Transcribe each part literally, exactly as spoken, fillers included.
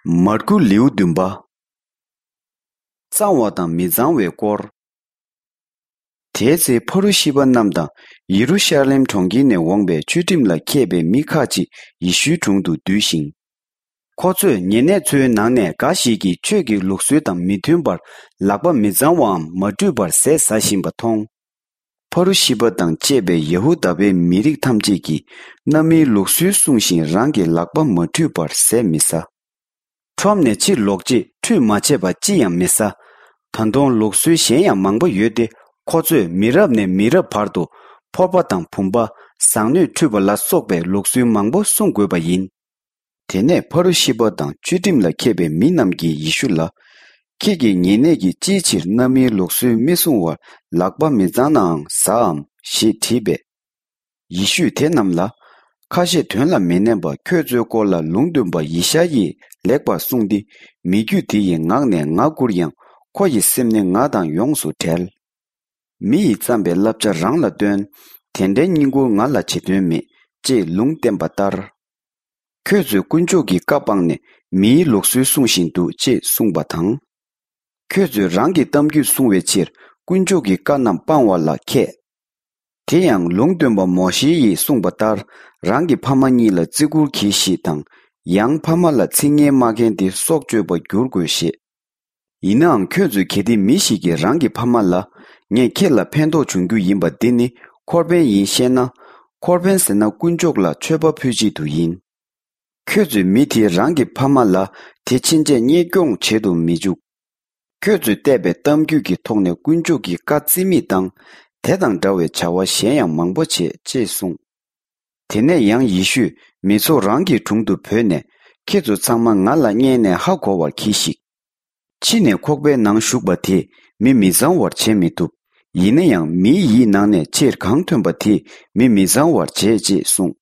མར་ཁུ་ལེའུ་བདུན་པ། གཙང་བ་དང་མི་གཙང་བའི་སྐོར། དེའི་ཚེ་ཕ་རུ་ཤི་པ་རྣམས་དང་ཡེ་རུ་ཤ་ལེམ་གྲོང་ཁྱེར་ནས་འོངས་པའི་ཆོས་ཁྲིམས་ལ་མཁས་པའི་མི་ཁ་ཅིག་ཡེ་ཤུའི་དྲུང་དུ་འདུས་ཤིང་། ཁོ་ཚོས་ཉེ་གནས་ཚོའི་ནང་ནས་འགའ་ཞིག་གིས་ཆོས་ཀྱི་ལུགས་སྲོལ་དང་མི་མཐུན་པར་ལག་པ་མི་གཙང་བའམ་མ་བཀྲུས་པར་ཟས་ཟ་བཞིན་པ་མཐོང་། ཕ་རུ་ཤི་པ་དང་བཅས་པའི་ཡ་ཧུ་དཱ་པའི་མི་རིགས་ཐམས་ཅད་ཀྱིས་གནའ་མིའི་ལུགས་སྲོལ་སྲུང་ཞིང་རང་གི་ལག་པ་མ་བཀྲུས་པར་ཟས་མི་ཟ། ཁྲོམ་ནས་ཕྱིར་ལོག་རྗེས་ཁྲུས་མ་བྱས་པ་ཅི་ཡང་མི་ཟ། ད་དུང་ལུགས་སྲོལ་གཞན་ཡང་མང་པོ་ཡོད་དེ། ཁོ་ཚོས་མི་རབས་ནས་མི་རབས་བར་དུ་ཕོར་པ་དང་བུམ་པ། ཟངས་སྣོད་འཁྲུད་པ་ལ་སོགས་པའི་ལུགས་སྲོལ་མང་པོ་སྲུང་དགོས་པ་ཡིན། དེ་ནས་ཕ་རུ་ཤི་པ་དང་ཆོས་ཁྲིམས་ལ་མཁས་པའི་མི་རྣམས་ཀྱིས་ཡེ་ཤུ་ལ། ཁྱེད་ཀྱིས་ཉེ་གནས་ཀྱིས་ཅིའི་ཕྱིར་གནའ་མིའི་ལུགས་སྲོལ་མི་སྲུང་བར་ལག་པ་མི་གཙང་ནའང་ཟའམ་ཞེས་དྲིས་པས། ཡེ་ཤུས་དེ་རྣམས་ལ། ཁ་ཞེ་དོན་ལ་མི་གནས་པ་ཁྱོད་ཚོའི་སྐོར་ལ་ལུང་སྟོན་པ་ཡེ་ཤ་ཡིས་ལེགས་པར་གསུངས་ཏེ། མི་རྒྱུད་དེ་ཡི་ངག་ནས་ང་བཀུར་ཡང་ཁོ་ཡི་སེམས་ནི་ང་དང་ཡོངས་སུ་བྲལ། མི་ཡིས་བརྩམས་པའི་བསླབ་བྱ་རང་ལ་སྟོན། དེ་འདྲའི་བསྙེན་བཀུར་ང་ལ་བྱེད་དོན་མེད་ཅེས་ལུང་བསྟན་པ་ལྟར། ཁྱོད་ཚོས་དཀོན་མཆོག་གི་བཀའ་སྤངས་ནས་མིའི་ལུགས་སྲོལ་སྲུང་བཞིན་འདུག་ཅེས་གསུངས་པ་དང་། ཁྱོད་ཚོས་རང་གི་གཏམ་རྒྱུད་སྲུང་བའི་ཕྱིར་དཀོན་མཆོག་གི་བཀའ་རྣམས་སྤང་བ་ལ་མཁས། དེ་ཡང་ལུང་སྟོན་པ་མོ་ཤེ་ཡིས་གསུངས་པ་ལྟར། རང་གི་ཕ་མ་གཉིས་ལ་བརྩི་བཀུར་གྱིས་ཤིག་དང་། ཡང་ཕ་མ་ལ་ཚིག་ངན་སྨྲ་མཁན་དེ་སྲོག་གཅོད་པར་འགྱུར་དགོས་ཞེས། ཡིན་ནའང་ཁྱོད་ཚོས་གལ་ཏེ་མི་ཞིག་གིས་རང་གི་ཕ་མ་ལ། ངས་ཁྱེད་ལ་ཕན་ཐོགས་འབྱུང་རྒྱུ་ཡིན་པ་འདི་ནི་འཁོར་ཕན་ཡིན་ཤེས་ན། འཁོར་ཕན་ཟེར་ན་དཀོན་མཆོག་ལ་མཆོད་པ་ཕུལ་ཆེད་དུ་ཡིན། ཁྱོད་ཚོས་མི་དེས་རང་གི་ཕ་མ་ལ་དེ་ཕྱིན་ཆད་གཉེན་སྐྱོང་བྱེད་དུ་མི་འཇུག། ཁྱོད་ཚོས་བལྟས་པའི་གཏམ་རྒྱུད་ཀྱི་ཐོག་ནས་དཀོན་མཆོག་གི་བཀའ་བརྩི་མེད་བཏང་། དེ་དང་འདྲ་བའི་བྱ་བ་གཞན་ཡང་མང་པོ་བྱེད་ཅེས་གསུངས། དེ་ནས་ཡང་ཡེ་ཤུས་མི་ཚོགས་རང་གི་དྲུང་དུ་བོས་ནས། ཁྱེད་ཚོ་ཚང་མ་ང་ལ་བརྙས་ནས་ཧ་གོ་བར་གྱིས་ཤིག། ཕྱི་ནས་ཁོག་པའི་ནང་ཞུགས་པ་དེས་མི་མི་གཙང་བར་བྱེད་མི་ཐུབ། ཡིན་ན་ཡང་མིའི་ཡིད་ནང་ནས་ཕྱིར་གང་ཐོན་པ་དེས་མི་མི་གཙང་བར་བྱེད་ཅེས་གསུངས།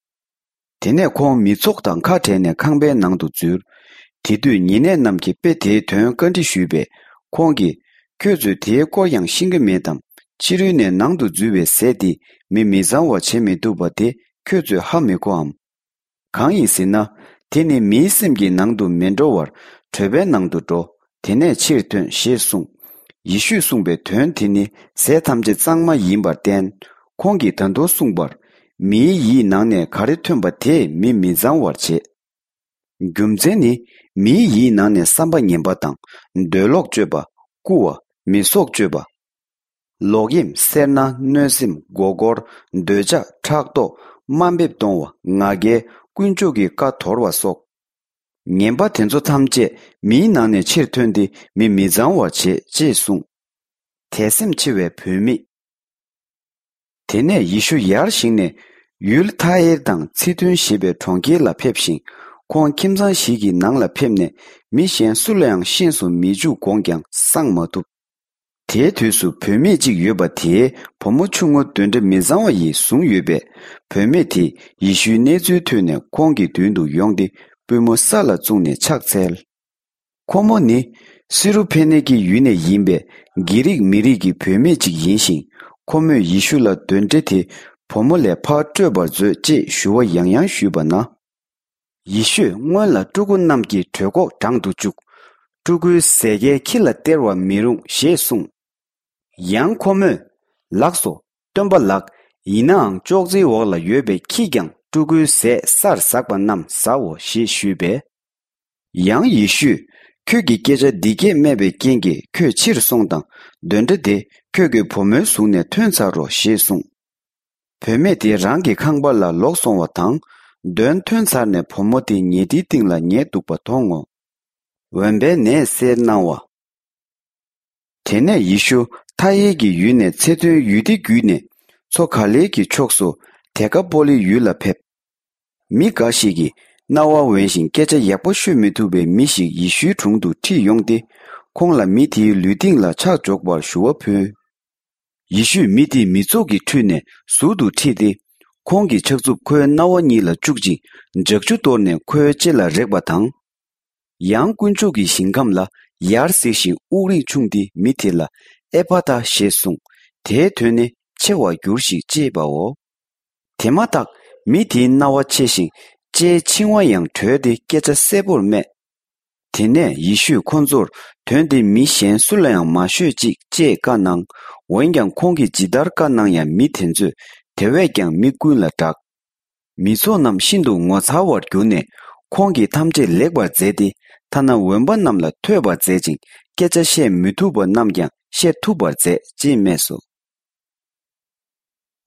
དེ་ནས་ཁོང་མི་ཚོགས་དང་ཁ་བྲལ་ནས་ཁང་པའི་ནང་དུ་འཛུལ། དེ་དུས་ཉེ་གནས་རྣམས་ཀྱིས་དཔེ་དེའི་དོན་བཀའ་འདྲི་ཞུས་པས། ཁོང་གིས། ཁྱོད་ཚོས་དེའི་སྐོར་ཡང་ཤེས་ཀྱི་མེད་དམ། ཕྱི་རོལ་ནས་ནང་དུ་འཛུལ་བའི་ཟས་དེ་མི་མི་གཙང་བར་བྱེད་མི་ཐུབ་པ་དེ་ཁྱོད་ཚོས་ཧ་མི་གོའམ། གང་ཡིན་ཟེར་ན། དེ་ནི་མིའི་སེམས་ཀྱི་ནང་དུ་མི་འགྲོ་བར་གྲོད་པའི་ནང་དུ་འགྲོ། དེ་ནས་ཕྱིར་ཐོན་ཞེས་གསུངས། ཡེ་ཤུས་གསུངས་པའི་དོན་དེ་ནི་ཟས་ཐམས་ཅད་གཙང་མ་ཡིན་པར་བསྟན། ཁོང་གིས་ད་དུང་གསུངས་པར། མིའི་ཡིད་ནང་ནས་ག་རེ་ཐོན་པ་དེས་མི་མི་གཙང་བར་བྱེད། རྒྱུ་མཚན་ནི། མིའི་ཡིད་ནང་ནས་བསམ་པ་ངན་པ་དང་། འདོད་ལོག་སྤྱོད་པ། རྐུ་བ། མི་སྲོག་གཅོད་པ། ལོག་གཡེམ། སེར་སྣ། གནོད་སེམས། མགོ་སྐོར། འདོད་ཆགས། ཕྲག་དོག། དམའ་འབེབས་གཏོང་བ། ང་རྒྱལ། དཀོན་མཆོག་གི་བཀའ་དོར་བ་སོགས། ངན་པ་དེ་ཚོ་ཐམས་ཅད་མིའི་ནང་ནས་ཕྱིར་ཐོན་ཏེ་མི་མི་གཙང་བར་བྱེད་ཅེས་གསུངས། དད་སེམས་ཆེ་བའི་བུད་མེད། དེ་ནས་ཡེ་ཤུ་ཡར་བཞེངས་ནས་ཡུལ་ཐ་ཨེར་དང་ཚི་དོན་ཞེས་པའི་གྲོང་ཁྱེར་ལ་ཕེབས་ཤིང་། ཁོང་ཁྱིམ་ཚང་ཞིག་གི་ནང་ལ་ཕེབས་ནས་མི་གཞན་སུ་ལའང་ཤེས་སུ་མི་འཇུག་དགོངས་ཀྱང་གསང་མ་ཐུབ། དེའི་དུས་སུ་བུད་མེད་ཅིག་ཡོད་པ་དེའི་བུ་མོ་ཆུང་ངུ་གདོན་འདྲེ་མི་གཙང་བ་ཡིས་བཟུང་ཡོད་པས། བུད་མེད་དེས་ཡེ་ཤུའི་གནས་ཚུལ་ཐོས་ནས་ཁོང་གི་མདུན་དུ་ཡོང་སྟེ་པུས་མོ་ས་ལ་བཙུགས་ནས་ཕྱག་འཚལ། ཁོ་མོ་ནི་སི་རུ་ཕེ་ནེ་ཀི་ཡུལ་ནས་ཡིན་པའི་གྷི་རིག་མི་རིགས་ཀྱི་བུད་མེད་ཅིག་ཡིན་ཞིང་། ཁོ་མོས་ཡེ་ཤུ་ལ་གདོན་འདྲེ་དེ་བུ་མོ་ལས་ཕར་སྐྲོད་པར་མཛོད་ཅེས་ཞུ་བ་ཡང་ཡང་ཞུས་པ་ན། ཡེ་ཤུས་སྔོན་ལ་ཕྲུ་གུ་རྣམས་ཀྱི་གྲོད་ཁོག་འགྲང་དུ་བཅུག། ཕྲུ་གུའི་ཟས་སྐལ་ཁྱི་ལ་སྟེར་བར་མི་རུང་ཞེས་གསུངས། ཡང་ཁོ་མོས། ལགས་སོ། སྟོན་པ་ལགས། ཡིན་ནའང་ཅོག་ཙེའི་འོག་ལ་ཡོད་པའི་ཁྱིས་ཀྱང་ཕྲུ་གུའི་ཟས་སར་ཟགས་པ་རྣམས་ཟའོ་ཞེས་ཞུས་པས། ཡང་ཡེ་ཤུས། ཁྱོད་ཀྱིས་སྐད་ཆ་འདི་སྐད་སྨྲས་པའི་རྐྱེན་གྱིས་ཁྱོད་ཕྱིར་སོང་དང་། གདོན་འདྲེ་དེ་ཁྱོད་ཀྱི་བུ་མོའི་གཟུགས་ནས་ཐོན་ཚར་རོ་ཞེས་གསུངས། བུད་མེད་དེ་རང་གི་ཁང་པ་ལ་ལོག་སོང་བ་དང་། གདོན་ཐོན་ཚར་ནས་བུ་མོ་དེ་ཉལ་ཁྲིའི་སྟེང་ལ་ཉལ་འདུག་པ་མཐོང་ངོ་། འོན་པའི་ནད་སེལ་གནང་བ། དེ་ནས་ཡེ་ཤུ་ཐ་ཨེ་གི་ཡུལ་ནས་ཚེ་ཐོན་ཡུལ་དེ་བརྒྱུད་ནས་མཚོ་ག་ལེ་གི་ཕྱོགས་སུ་དེ་ཀ་པོ་ལི་ཡུལ་ལ་ཕེབས། མི་འགའ་ཞིག་གིས་རྣ་བ་འོན་ཞིང་སྐད་ཆ་ཡག་པོ་ཤོད་མི་ཐུབ་པའི་མི་ཞིག་ཡེ་ཤུའི་དྲུང་དུ་ཁྲིད་ཡོང་སྟེ། ཁོང་ལ་མི་དེའི་ལུས་སྟེང་ལ་ཕྱག་འཇོག་པར་ཞུ་བ་ཕུལ། ཡེ་ཤུས་མི་དེ་མི་ཚོགས་ཀྱི་ཁྲོད་ནས་ཟུར་དུ་ཁྲིད་དེ། ཁོང་གི་ཕྱག་མཛུབ་ཁོའི་རྣ་བ་གཉིས་ལ་བཅུག་ཅིང་ལྗགས་ཆུ་གཏོར་ནས་ཁོའི་ལྕེ་ལ་རེག་པ་དང་། ཡང་དཀོན་མཆོག་གི་ཞིང་ཁམས་ལ་ཡར་གཟིགས་ཤིང་དབུགས་རིང་ཕྱུང་སྟེ་མི་དེ་ལ་ཨེ་ཕ་ཐ་ཞེས་གསུངས། དེའི་དོན་ནི་ཆེ་བར་འགྱུར་ཞིག་ཅེས་པའོ། དེ་མ་ཐག་མི་དེའི་རྣ་བ་ཕྱེ་ཞིང་ལྕེའི་འཆིང་བ་ཡང་གྲོལ་ཏེ་སྐད་ཆ་གསལ་པོར་སྨྲས། དེ་ནས་ཡེ་ཤུས་ཁོ་ཚོར། དོན་འདི་མི་གཞན་སུ་ལ་ཡང་མ་ཤོད་ཅིག་ཅེས་བཀའ་གནང་། འོན་ཀྱང་ཁོང་གིས་ཇི་ལྟར་བཀའ་གནང་ཡང་མི་དེ་ཚོས་དེ་བས་ཀྱང་མི་ཀུན་ལ་བསྒྲགས། མི་ཚོགས་རྣམས་ཤིན་ཏུ་ངོ་མཚར་བར་གྱུར་ནས། ཁོང་གིས་ཐམས་ཅད་ལེགས་པར་མཛད་དེ། ཐ་ན་འོན་པ་རྣམས་ལ་ཐོས་པར་མཛད་ཅིང་། སྐད་ཆ་བཤད་མི་ཐུབ་པ་རྣམས་ཀྱང་བཤད་ཐུབ་པར་མཛད་ཅེས་སྨྲས་སོ།